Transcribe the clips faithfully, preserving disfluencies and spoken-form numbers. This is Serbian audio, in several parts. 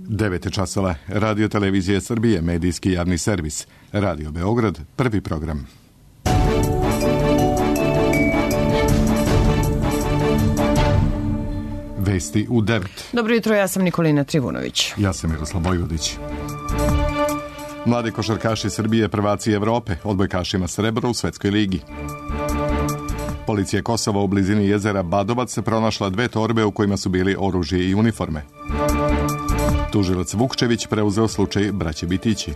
devet časova. Radio Televizije Srbije, medijski javni servis. Radio Beograd, prvi program. Vesti u devet. Dobro jutro, ja sam Nikolina Trivunović. Ja sam Miroslav Vojvodić. Mladi košarkaši Srbije prvaci Evrope, odbojkašima srebro u Svetskoj ligi. Policija Kosova u blizini jezera Badovac se pronašla dve torbe u kojima su bili oružje i uniforme. Tužilac Vukčević preuzeo slučaj braće Bitići.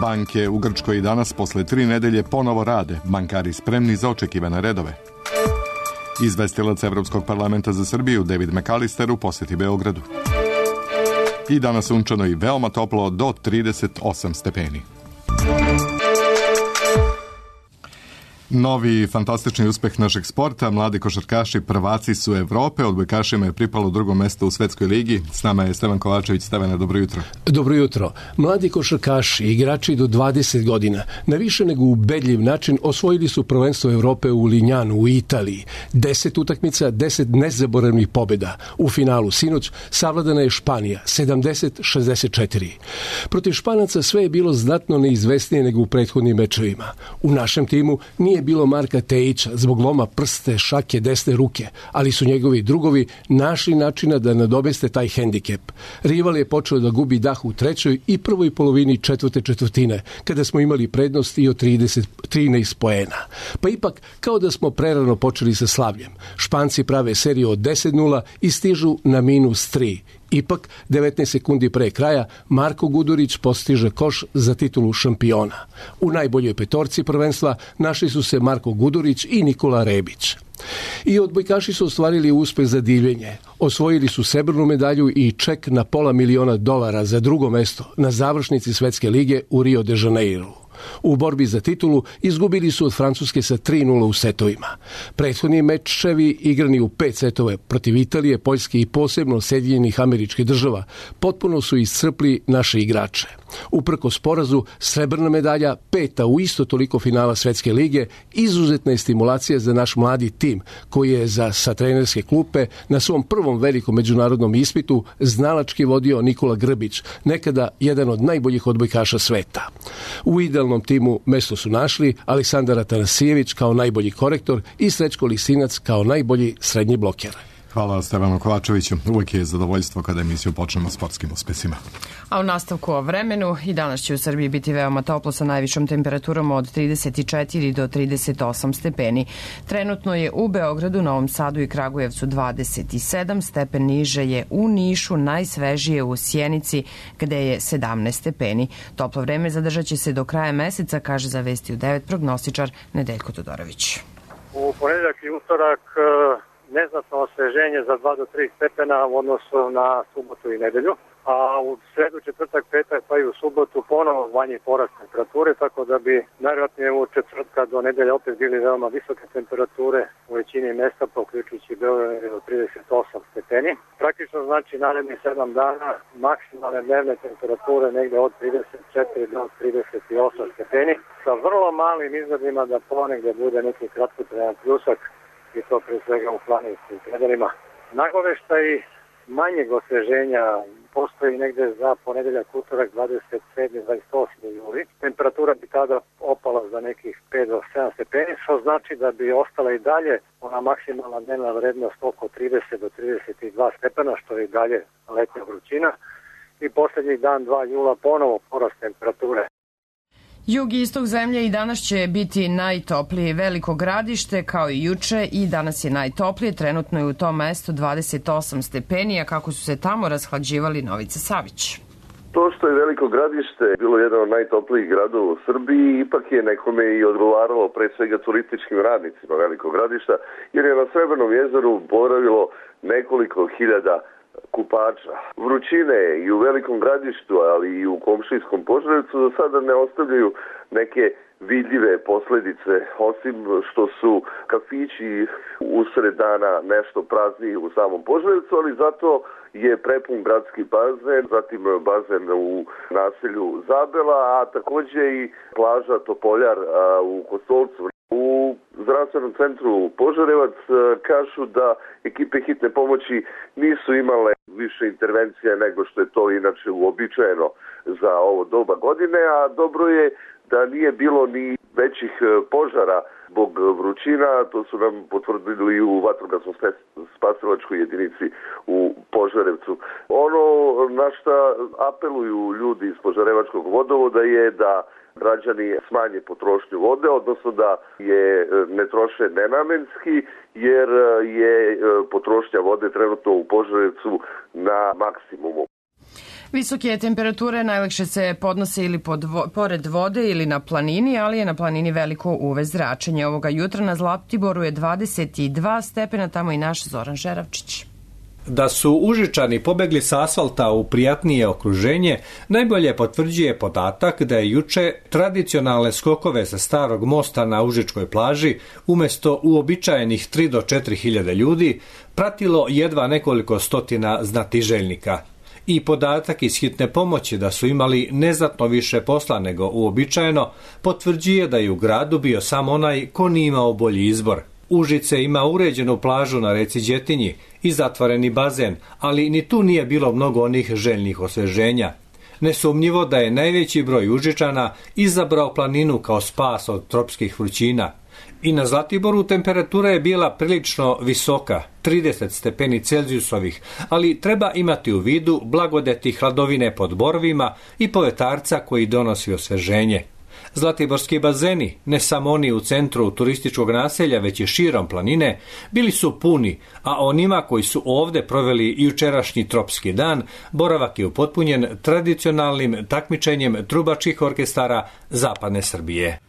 Banke u Grčkoj i danas posle tri nedelje ponovo rade, bankari spremni za očekivane redove. Izvestilac Evropskog parlamenta za Srbiju David McAllister u poseti Beogradu. I danas sunčano i veoma toplo do trideset osam stepeni. Novi fantastični uspeh našeg sporta, mladi košarkaši prvaci su Evrope, odbojkašima je pripalo drugo mesto u Svetskoj ligi. S nama je Stevan Kovačević. Stevane, dobro jutro. Dobro jutro. Mladi košarkaši, igrači do dvadeset godina, na više nego ubedljiv način osvojili su prvenstvo Evrope u Linjanu u Italiji. deset utakmica, deset nezaboravnih pobjeda. U finalu sinoć savladana je Španija, sedamdeset šezdeset četiri. Protiv Španaca sve je bilo znatno neizvesnije nego u prethodnim mečevima. U našem timu nije bilo Marka Tejića zbog loma prste šake desne ruke, ali su njegovi drugovi našli načina da nadobeste taj hendikep. Rival je počeo da gubi dah u trećoj i prvoj polovini četvrte četvrtine, kada smo imali prednost i od trideset, trinaest poena. Pa ipak, kao da smo prerano počeli sa slavljem. Španci prave seriju od deset nula i stižu na minus tri. Ipak, devetnaest sekundi pre kraja, Marko Gudurić postiže koš za titulu šampiona. U najboljoj petorci prvenstva našli su se Marko Gudurić i Nikola Rebić. I odbojkaši su ostvarili uspeh za divljenje. Osvojili su srebrnu medalju i ček na pola miliona dolara za drugo mesto na završnici Svetske lige u Rio de Janeiru. U borbi za titulu izgubili su od Francuske sa tri nula u setovima. Prethodni mečevi igrani u pet setova protiv Italije, Poljske i posebno Sjedinjenih Američkih Država potpuno su iscrpli naše igrače. Uprkos porazu, srebrna medalja, peta u isto toliko finala Svetske lige, izuzetna je stimulacija za naš mladi tim, koji je za sa trenerske klupe na svom prvom velikom međunarodnom ispitu znalački vodio Nikola Grbić, nekada jedan od najboljih odbojkaša sveta. U idealnom timu mesto su našli Aleksandar Atanasijević kao najbolji korektor i Srećko Lisinac kao najbolji srednji bloker. Hvala Stevanu Kovačeviću. Uvijek je zadovoljstvo kada emisiju počnemo sportskim uspesima. A u nastavku o vremenu, i danas će u Srbiji biti veoma toplo sa najvišom temperaturom od trideset četiri do trideset osam stepeni. Trenutno je u Beogradu, Novom Sadu i Kragujevcu dvadeset sedam, stepen niže je u Nišu, najsvežije u Sjenici gde je sedamnaest stepeni. Toplo vreme zadržat će se do kraja meseca, kaže za Vesti u devet prognostičar Nedeljko Todorović. U ponedeljak i utorak neznatno osveženje za dva do tri stepena u odnosu na subotu i nedelju, a u sredu, četvrtak, petak pa i u subotu ponovo manji porast temperature, tako da bi najvjerojatnije u četvrtka do nedelja opet bili veoma visoke temperature u većini mesta, poključujući Beograd do trideset osam stepeni. Praktično znači narednih sedam dana maksimalne dnevne temperature negde od trideset četiri do trideset osam stepeni, sa vrlo malim izgledima da ponegde bude neki kratkotrajan pljusak, i to pre svega u planinskim predelima. Nagoveštaj manjeg osveženja postoji negde za ponedeljak, utorak, dvadeset sedmi do dvadeset osmi juli. Temperatura bi tada opala za nekih pet do sedam stepeni, što znači da bi ostala i dalje ona maksimalna dnevna vrednost oko trideset do trideset dva stepena, što je i dalje letnja vrućina. I posljednjih dan, dva jula, ponovo porast temperature. Jug i istok zemlje i danas će biti najtoplije. Veliko Gradište kao i juče i danas je najtoplije. Trenutno je u tom mestu dvadeset osam stepeni, a kako su se tamo rashlađivali Novica Savić. To što je Veliko Gradište bilo jedan od najtoplijih gradova u Srbiji, ipak je nekome i odgovaralo pre svega turističkim radnicima Velikog Gradišta, jer je na Srebrnom jezeru boravilo nekoliko hiljada kupača. Vrućine i u Velikom Gradištu, ali i u komšijskom Požarevcu za sada ne ostavljaju neke vidljive posledice, osim što su kafići usred dana nešto prazniji u samom Požarevcu, ali zato je prepun gradski bazen, zatim bazen u naselju Zabela, a takođe i plaža Topoljar u Kostolcu. U zdravstvenom centru Požarevac kažu da ekipe hitne pomoći nisu imale više intervencija nego što je to inače uobičajeno za ovo doba godine, a dobro je da nije bilo ni većih požara zbog vrućina, to su nam potvrdili i u vatrogasnoj spasilačkoj jedinici u Požarevcu. Ono na šta apeluju ljudi iz Požarevačkog vodovoda je da građani smanje potrošnju vode, odnosno da je ne troše nenamenski, jer je potrošnja vode trenutno u Požarevcu na maksimumu. Visoke temperature najlakše se podnose ili pod vo, pored vode ili na planini, ali je na planini veliko U V zračenje. Ovoga jutra na Zlatiboru je dvadeset dva stepena, tamo i naš Zoran Žeravčić. Da su Užičani pobegli sa asfalta u prijatnije okruženje, najbolje potvrđuje podatak da je juče tradicionalne skokove sa starog mosta na Užičkoj plaži umjesto uobičajenih tri do četiri hiljade ljudi pratilo jedva nekoliko stotina znatiželjnika. I podatak iz hitne pomoći da su imali neznatno više posla nego uobičajeno potvrđuje da je u gradu bio samo onaj ko nije imao bolji izbor. Užice ima uređenu plažu na reci Đetinji i zatvoreni bazen, ali ni tu nije bilo mnogo onih željnih osveženja. Nesumnjivo da je najveći broj Užičana izabrao planinu kao spas od tropskih vrućina. I na Zlatiboru temperatura je bila prilično visoka, trideset stepeni Celzijusovih, ali treba imati u vidu blagodeti hladovine pod borovima i povetarca koji donosi osveženje. Zlatiborski bazeni, ne samo oni u centru turističkog naselja, već i širom planine, bili su puni, a onima koji su ovde proveli jučerašnji tropski dan, boravak je upotpunjen tradicionalnim takmičenjem trubačkih orkestara Zapadne Srbije.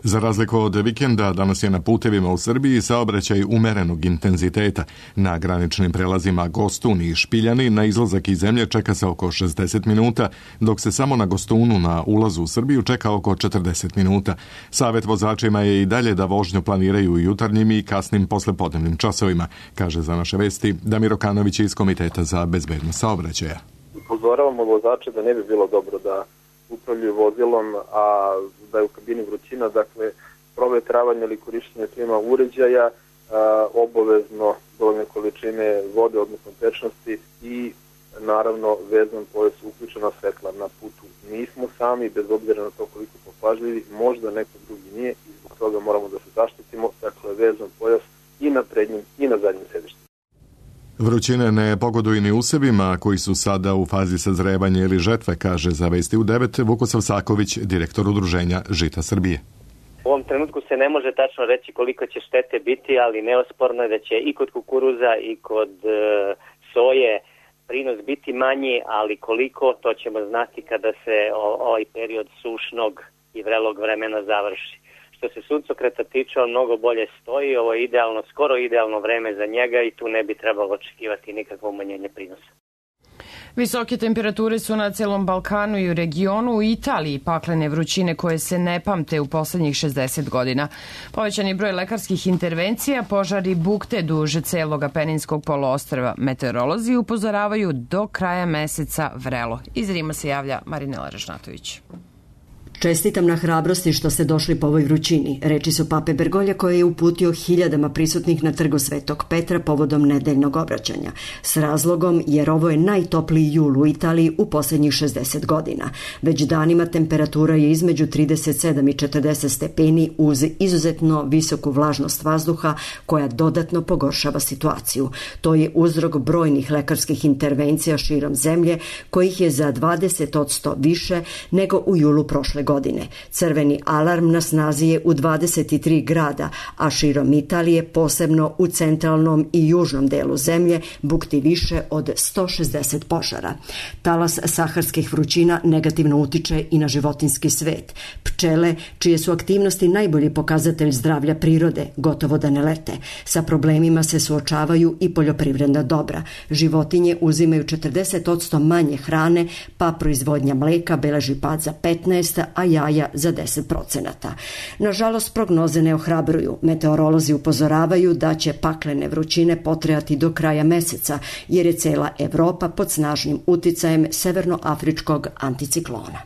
Za razliku od vikenda, danas je na putevima u Srbiji saobraćaj umerenog intenziteta. Na graničnim prelazima Gostun i Špiljani na izlazak iz zemlje čeka se oko šezdeset minuta, dok se samo na Gostunu na ulazu u Srbiju čeka oko četrdeset minuta. Savet vozačima je i dalje da vožnju planiraju jutarnjim i kasnim poslepodnevnim časovima, kaže za naše vesti Damir Okanović iz Komiteta za bezbednost saobraćaja. Upozoravamo vozače da ne bi bilo dobro da upravljaju vozilom, a da je u kabini vrućina, dakle provetravanje ili korištenje klima uređaja, a, obavezno dovoljne količine vode, odnosno tečnosti i naravno vezan pojas, uključena svetla na putu. Nismo sami, bez obzira na to koliko smo pažljivi, možda neko drugi nije i zbog toga moramo da se zaštitimo, dakle vezan pojas i na prednjim i na zadnjim sedištima. Vrućine ne pogoduju ni usevima koji su sada u fazi sazrevanja ili žetve, kaže za Vesti u devet Vukosav Saković, direktor udruženja Žita Srbije. U ovom trenutku se ne može tačno reći koliko će štete biti, ali neosporno je da će i kod kukuruza i kod e, soje prinos biti manji, ali koliko, to ćemo znati kada se o, ovaj period sušnog i vrelog vremena završi. Što se suncokreta tiče, on mnogo bolje stoji, ovo je idealno, skoro idealno vreme za njega i tu ne bi trebalo očekivati nikakvo umanjenje prinosa. Visoke temperature su na celom Balkanu i u regionu. U Italiji paklene vrućine koje se ne pamte u poslednjih šezdeset godina. Povećani broj lekarskih intervencija, požari bukte duže celog Apeninskog poluostrva. Meteorolozi upozoravaju do kraja meseca vrelo. Iz Rima se javlja Marinela Ražnatović. Čestitam na hrabrosti što ste došli po ovoj vrućini, reči su pape Bergolja koje je uputio hiljadama prisutnih na trgu Svetog Petra povodom nedeljnog obraćanja. S razlogom jer ovo je najtopliji jul u Italiji u posljednjih šezdeset godina. Već danima temperatura je između trideset sedam i četrdeset stepeni uz izuzetno visoku vlažnost vazduha koja dodatno pogoršava situaciju. To je uzrok brojnih lekarskih intervencija širom zemlje kojih je za dvadeset posto više nego u julu prošle godine. godine. Crveni alarm na snazi je u dvadeset tri grada, a širom Italije, posebno u centralnom i južnom delu zemlje, bukti više od sto šezdeset požara. Talas saharskih vrućina negativno utiče i na životinjski svet. Pčele, čije su aktivnosti najbolji pokazatelj zdravlja prirode, gotovo da ne lete. Sa problemima se suočavaju i poljoprivredna dobra. Životinje uzimaju četrdeset posto manje hrane, pa proizvodnja mleka beleži pad za petnaest, a jaja za deset procenata. Nažalost, prognoze ne ohrabruju. Meteorolozi upozoravaju da će paklene vrućine potrajati do kraja meseca, jer je cela Evropa pod snažnim uticajem severnoafričkog anticiklona.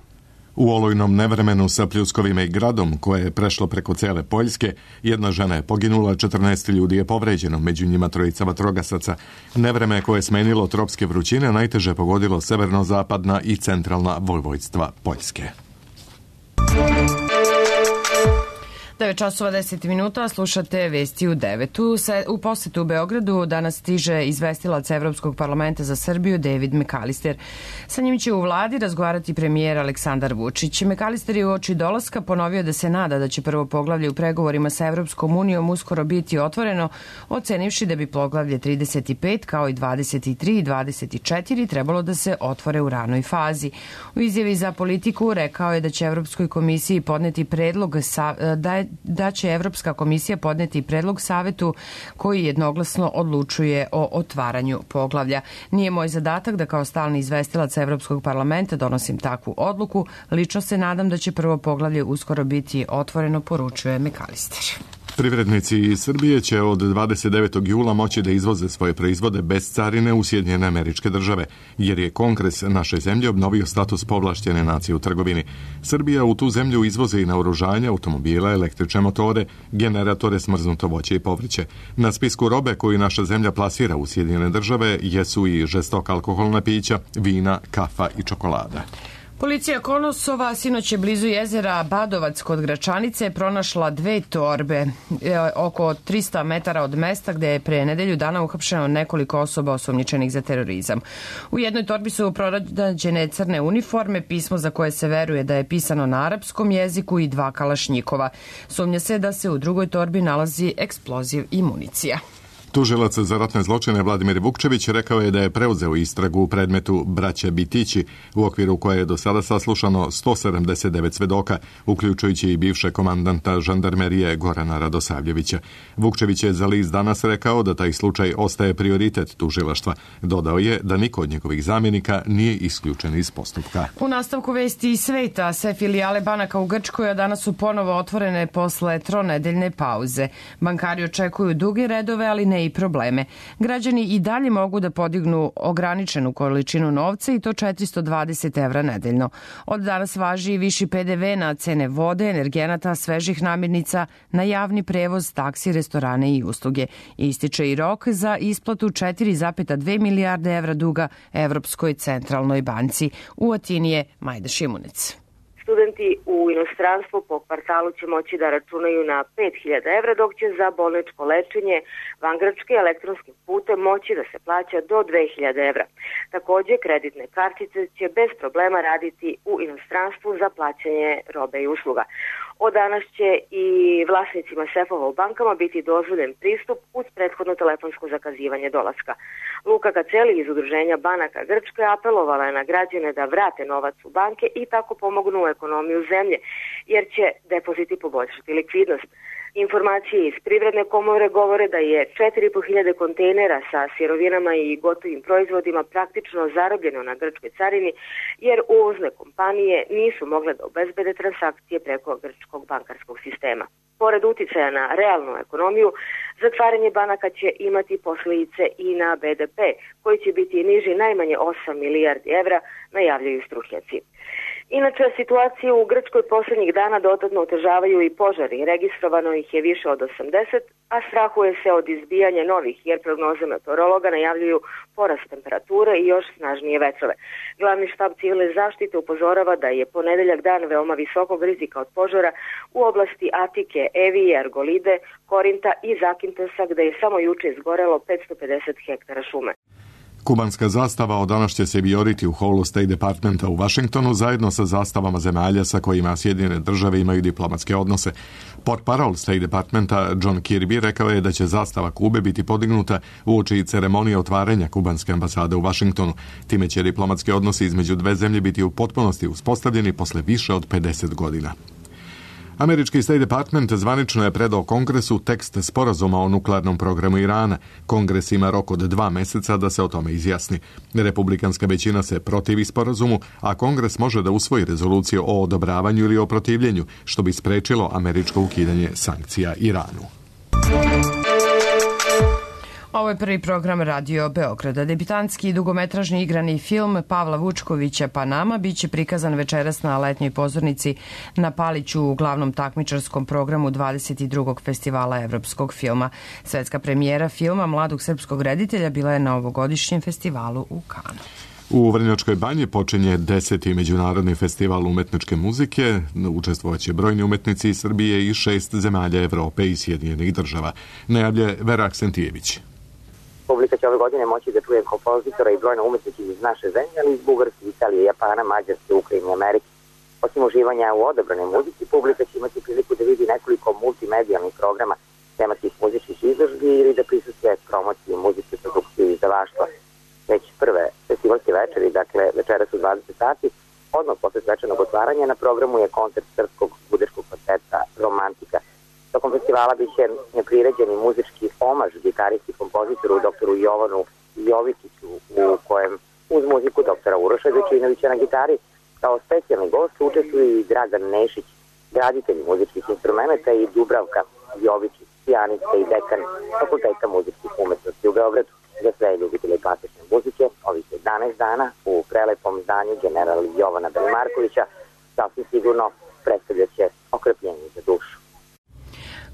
U olujnom nevremenu sa pljuskovima i gradom, koje je prešlo preko cele Poljske, jedna žena je poginula, četrnaest ljudi je povređeno, među njima trojica vatrogasaca. Nevreme koje je smenilo tropske vrućine najteže pogodilo severno-zapadna i centralna vojvodstva Poljske. devet časova deset minuta, slušate vesti u devetu. U posetu u Beogradu danas stiže izvestilac Evropskog parlamenta za Srbiju David McAllister. Sa njim će u vladi razgovarati premijer Aleksandar Vučić. McAllister je u oči dolaska ponovio da se nada da će prvo poglavlje u pregovorima sa Evropskom unijom uskoro biti otvoreno, ocenivši da bi poglavlje trideset pet kao i dvadeset tri i dvadeset četiri trebalo da se otvore u ranoj fazi. U izjavi za Politiku rekao je da će Evropskoj komisiji podneti predlog sa, da je da će Evropska komisija podneti predlog savetu koji jednoglasno odlučuje o otvaranju poglavlja. Nije moj zadatak da kao stalni izvestilac Evropskog parlamenta donosim takvu odluku. Lično se nadam da će prvo poglavlje uskoro biti otvoreno, poručuje McAllister. Privrednici iz Srbije će od dvadeset devetog jula moći da izvoze svoje proizvode bez carine u Sjedinjene Američke Države, jer je Kongres naše zemlje obnovio status povlašćene nacije u trgovini. Srbija u tu zemlju izvoze i naoružanje, automobile, električne motore, generatore, smrznuto voće i povrće. Na spisku robe koju naša zemlja plasira u Sjedinjene Države jesu i žestoka alkoholna pića, vina, kafa i čokolada. Policija Kosova sinoć je blizu jezera Badovac kod Gračanice pronašla dve torbe e, oko trista metara od mesta gde je pre nedelju dana uhapšeno nekoliko osoba osumnjičenih za terorizam. U jednoj torbi su pronađene crne uniforme, pismo za koje se veruje da je pisano na arapskom jeziku i dva kalašnjikova. Sumnja se da se u drugoj torbi nalazi eksploziv i municija. Tužilac za ratne zločine Vladimir Vukčević rekao je da je preuzeo istragu u predmetu braća Bitići, u okviru koje je do sada saslušano sto sedamdeset devet svedoka, uključujući i bivše komandanta žandarmerije Gorana Radosavljevića. Vukčević je za list Danas rekao da taj slučaj ostaje prioritet tužilaštva. Dodao je da niko od njegovih zamjenika nije isključen iz postupka. U nastavku vesti iz sveta, sve filijale banaka u Grčkoj danas su ponovo otvorene posle tronedeljne pauze. Bankari očekuju duge redove, ali ne i probleme. Građani i dalje mogu da podignu ograničenu količinu novca i to četiristo dvadeset evra nedeljno. Od danas važi i viši P D V na cene vode, energenata, svežih namirnica, na javni prevoz, taksi, restorane i usluge. Ističe i rok za isplatu četiri zarez dve milijarde evra duga Evropskoj centralnoj banci. U Atini je Majda Šimunec. Studenti u inostranstvu po kvartalu će moći da računaju na pet hiljada evra, dok će za bolničko lečenje van Grčke elektronskim putem moći da se plaća do dve hiljade evra. Takođe, kreditne kartice će bez problema raditi u inostranstvu za plaćanje robe i usluga. Od danas će i vlasnicima sefova u bankama biti dozvoljen pristup uz prethodno telefonsko zakazivanje dolaska. Luka Kaceli iz Udruženja banaka Grčke apelovala je na građane da vrate novac u banke i tako pomognu u ekonomiju zemlje, jer će depoziti poboljšati likvidnost. Informacije iz Privredne komore govore da je četiri i po hiljade kontejnera sa sirovinama i gotovim proizvodima praktično zarobljeno na grčkoj carini, jer uvozne kompanije nisu mogle da obezbede transakcije preko grčkog bankarskog sistema. Pored uticaja na realnu ekonomiju, zatvaranje banaka će imati posljedice i na B D P, koji će biti niži najmanje osam milijardi evra, najavljaju stručnjaci. Inače, situaciju u Grčkoj posljednjih dana dodatno otežavaju i požari. Registrovano ih je više od osamdeset, a strahuje se od izbijanja novih, jer prognoze meteorologa najavljuju porast temperature i još snažnije vetrove. Glavni štab civilne zaštite upozorava da je ponedeljak dan veoma visokog rizika od požara u oblasti Atike, Evije, Argolide, Korinta i Zakintosa, gde je samo juče izgorelo petsto pedeset hektara šume. Kubanska zastava od danas će se vijoriti u holu State Departmenta u Vašingtonu zajedno sa zastavama zemalja sa kojima Sjedinjene države imaju diplomatske odnose. Portparol State Departmenta John Kirby rekao je da će zastava Kube biti podignuta uoči ceremonije otvaranja kubanske ambasade u Vašingtonu. Time će diplomatski odnosi između dve zemlje biti u potpunosti uspostavljeni posle više od pedeset godina. Američki State Department zvanično je predao Kongresu tekst sporazuma o nuklearnom programu Irana. Kongres ima rok od dva meseca da se o tome izjasni. Republikanska većina se protivi sporazumu, a Kongres može da usvoji rezoluciju o odobravanju ili o protivljenju, što bi sprečilo američko ukidanje sankcija Iranu. Ovo je prvi program Radio Beograda. Debitanski i dugometražni igrani film Pavla Vučkovića Panama biće prikazan večeras na letnjoj pozornici na Paliću u glavnom takmičarskom programu dvadeset drugog festivala evropskog filma. Svetska premijera filma mladog srpskog reditelja bila je na ovogodišnjem festivalu u Kanu. U Vrnjačkoj banji počinje deseti međunarodni festival umetničke muzike. Učestvovaće brojni umetnici iz Srbije i šest zemalja Evrope i Sjedinjenih država. Najavlja Vera Aksentijević. Publika će ove godine moći da čuje kompozitora i brojne umetnike iz naše zemlje, ali iz Bugarske, Italije, Japana, Mađarske, Ukrajine i Amerike. Osim uživanja u odabranoj muzici, publika će imati priliku da vidi nekoliko multimedijalnih programa tematskih muzičkih izložbi ili da prisustvuje promociji muzičke produkcije i izdavaštva. Već prve festivalske večeri, dakle večeras u dvadeset sati, odmah posle svečanog otvaranja na programu je koncert srpskog budičkog kvarteta Romantika. Tokom festivala biće priređeni muzički omaž gitaristi kompozitoru doktoru Jovanu Jovičiću, u kojem uz muziku doktora Uroša Dečinovića na gitari kao specijalni gost učestvuju i Dragan Nešić, graditelj muzičkih instrumenta, i Dubravka Jovičić, pijanistka i dekan Fakulteta muzičkih umetnosti u Beogradu. Za sve ljubitelje klasične muzike, ovih jedanaest dana u prelepom zdanju general Jovana Belimarkovića sasvim sigurno predstavljaće okrepljeni za dušu.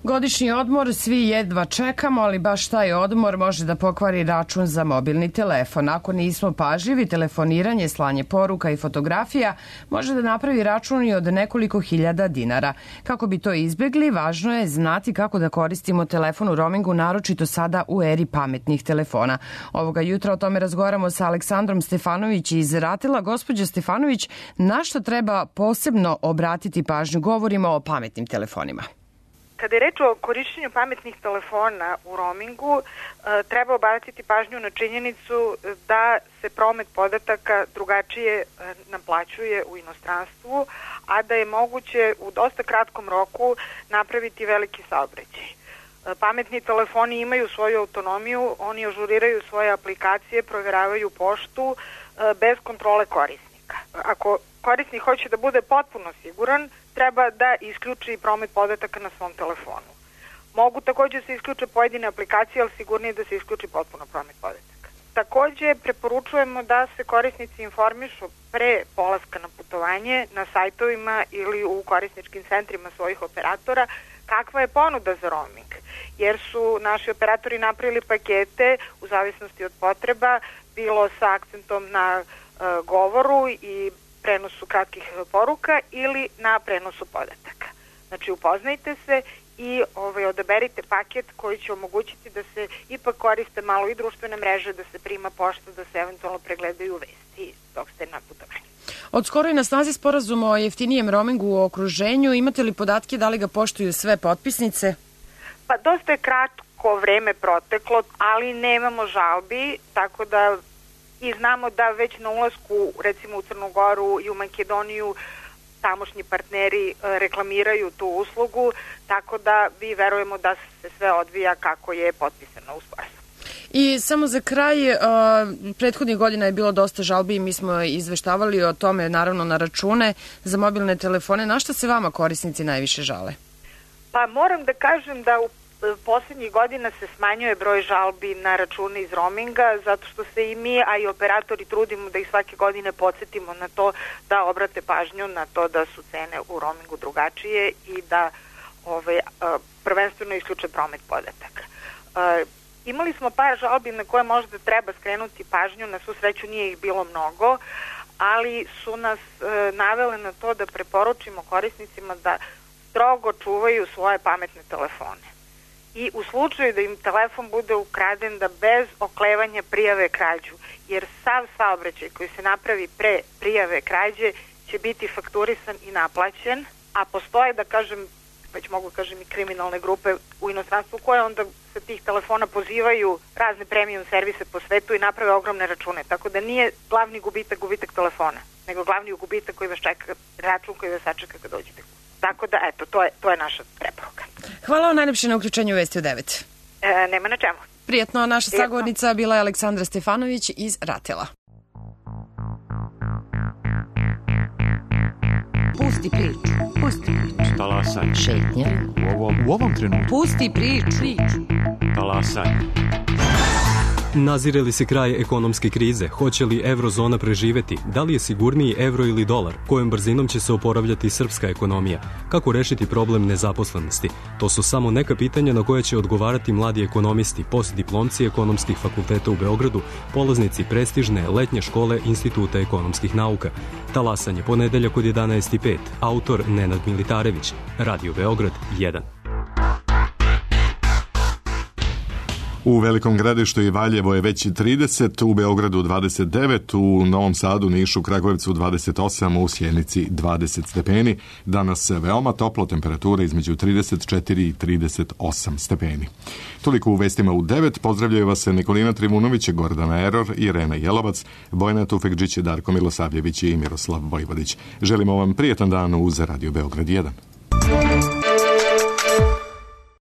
Godišnji odmor svi jedva čekamo, ali baš taj odmor može da pokvari račun za mobilni telefon. Ako nismo pažljivi, telefoniranje, slanje poruka i fotografija može da napravi račun i od nekoliko hiljada dinara. Kako bi to izbjegli, važno je znati kako da koristimo telefon u roamingu, naročito sada u eri pametnih telefona. Ovoga jutra o tome razgovaramo sa Aleksandrom Stefanović iz Ratela. Gospođa Stefanović, na što treba posebno obratiti pažnju? Govorimo o pametnim telefonima. Kada je reč o korišćenju pametnih telefona u roamingu, treba obratiti pažnju na činjenicu da se promet podataka drugačije naplaćuje u inostranstvu, a da je moguće u dosta kratkom roku napraviti veliki saobraćaj. Pametni telefoni imaju svoju autonomiju, oni ažuriraju svoje aplikacije, provjeravaju poštu bez kontrole korisnika. Ako korisnik hoće da bude potpuno siguran, treba da isključi promet podataka na svom telefonu. Mogu također se isključe pojedine aplikacije, ali sigurnije da se isključi potpuno promet podataka. Također preporučujemo da se korisnici informišu pre polaska na putovanje na sajtovima ili u korisničkim centrima svojih operatora kakva je ponuda za roaming, jer su naši operatori napravili pakete u zavisnosti od potreba, bilo sa akcentom na uh, govoru i prenosu kratkih poruka ili na prenosu podataka. Znači upoznajte se i ovaj, odaberite paket koji će omogućiti da se ipak koriste malo i društvene mreže, da se prima pošta, da se eventualno pregledaju vesti dok ste na putovanju. Od skoro je na snazi sporazum o jeftinijem roamingu u okruženju. Imate li podatke da li ga poštuju sve potpisnice? Pa dosta je kratko vreme proteklo, ali nemamo žalbi, tako da i znamo da već na ulasku recimo u Crnu Goru i u Makedoniju tamošnji partneri reklamiraju tu uslugu, tako da vi verujemo da se sve odvija kako je potpisano u sporazumu. I samo za kraj, prethodnih godina je bilo dosta žalbi i mi smo izveštavali o tome, naravno, na račune za mobilne telefone. Na šta se vama korisnici najviše žale? Pa moram da kažem da u poslednjih godina se smanjuje broj žalbi na račune iz roaminga, zato što se i mi, a i operatori trudimo da ih svake godine podsjetimo na to da obrate pažnju na to da su cene u roamingu drugačije i da ove, prvenstveno isključe promet podataka. Imali smo par žalbi na koje možda treba skrenuti pažnju, na svu sreću nije ih bilo mnogo, ali su nas navele na to da preporučimo korisnicima da strogo čuvaju svoje pametne telefone. I u slučaju da im telefon bude ukraden, da bez oklevanja prijave krađu, jer sav saobraćaj koji se napravi pre prijave krađe će biti fakturisan i naplaćen, a postoje, da kažem, već mogu kažem i kriminalne grupe u inostranstvu koje onda sa tih telefona pozivaju razne premium servise po svetu i naprave ogromne račune, tako da nije glavni gubitak gubitak telefona, nego glavni gubitak koji vas čeka, račun koji vas sačeka kad dođete. Tako da, eto, to je, to je naša preporuka. Hvala vam najlepše na uključenju Vesti u devet. E, nema na čemu. Prijetno, naša Prijetno. Sagovornica bila je Aleksandra Stefanović iz Ratela. Pusti priču, pusti priču. Talasaj. Šetnja. U ovom, u ovom trenutku. Pusti priču. Talasaj. Nazire li se kraj ekonomske krize? Hoće li eurozona preživeti? Da li je sigurniji euro ili dolar? Kojom brzinom će se oporavljati srpska ekonomija? Kako rešiti problem nezaposlenosti? To su samo neka pitanja na koje će odgovarati mladi ekonomisti, postdiplomci ekonomskih fakulteta u Beogradu, polaznici prestižne letnje škole Instituta ekonomskih nauka. Talasanje ponedeljak od jedanaest i pet. Autor Nenad Militarević. Radio Beograd jedan. U Velikom Gradištu i Valjevo je već trideset, u Beogradu dvadeset devet, u Novom Sadu, Nišu, Kragujevcu dvadeset osam, u Sjenici dvadeset stepeni. Danas veoma toplo, temperatura između trideset četiri i trideset osam stepeni. Toliko u vestima u devet. Pozdravljaju vas Nikolina Trivunović, Gordana Eror, Irena Jelovac, Bojana Tufekđić, Darko Milosavljević i Miroslav Vojvodić. Želimo vam prijetan dan uz Radio Beograd jedan.